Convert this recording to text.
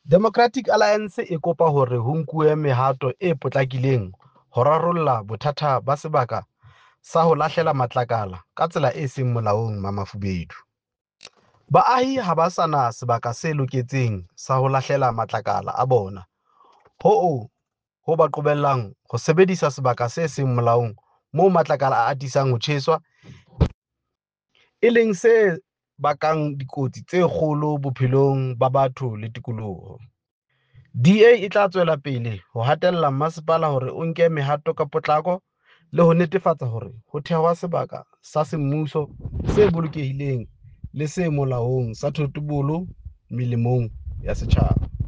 Democratic Alliance e kopa hore ho nkuwe mehato e potlakileng ho rarolla bothata ba sebaka sa ho lahlela matlakala ka tsela e seng molaong Mamafubedu. Baahi ha ba sa na sebaka se loketseng sa ho lahlela matlakala a bona, hoo ho ba qobellang ho sebedisa sebaka se seng molaong moo matlakala a atisang ho tjheswa, e leng se bakang dikotsi tse kgolo bophelong ba batho le tikoloho. DA e tla tswela pele ho hatella masepala hore o nke mehato ka potlako le ho netefatsa hore ho thehwa sebaka sa semmuso, se bolokehileng le se molaong sa thotobolo melemong ya setjhaba.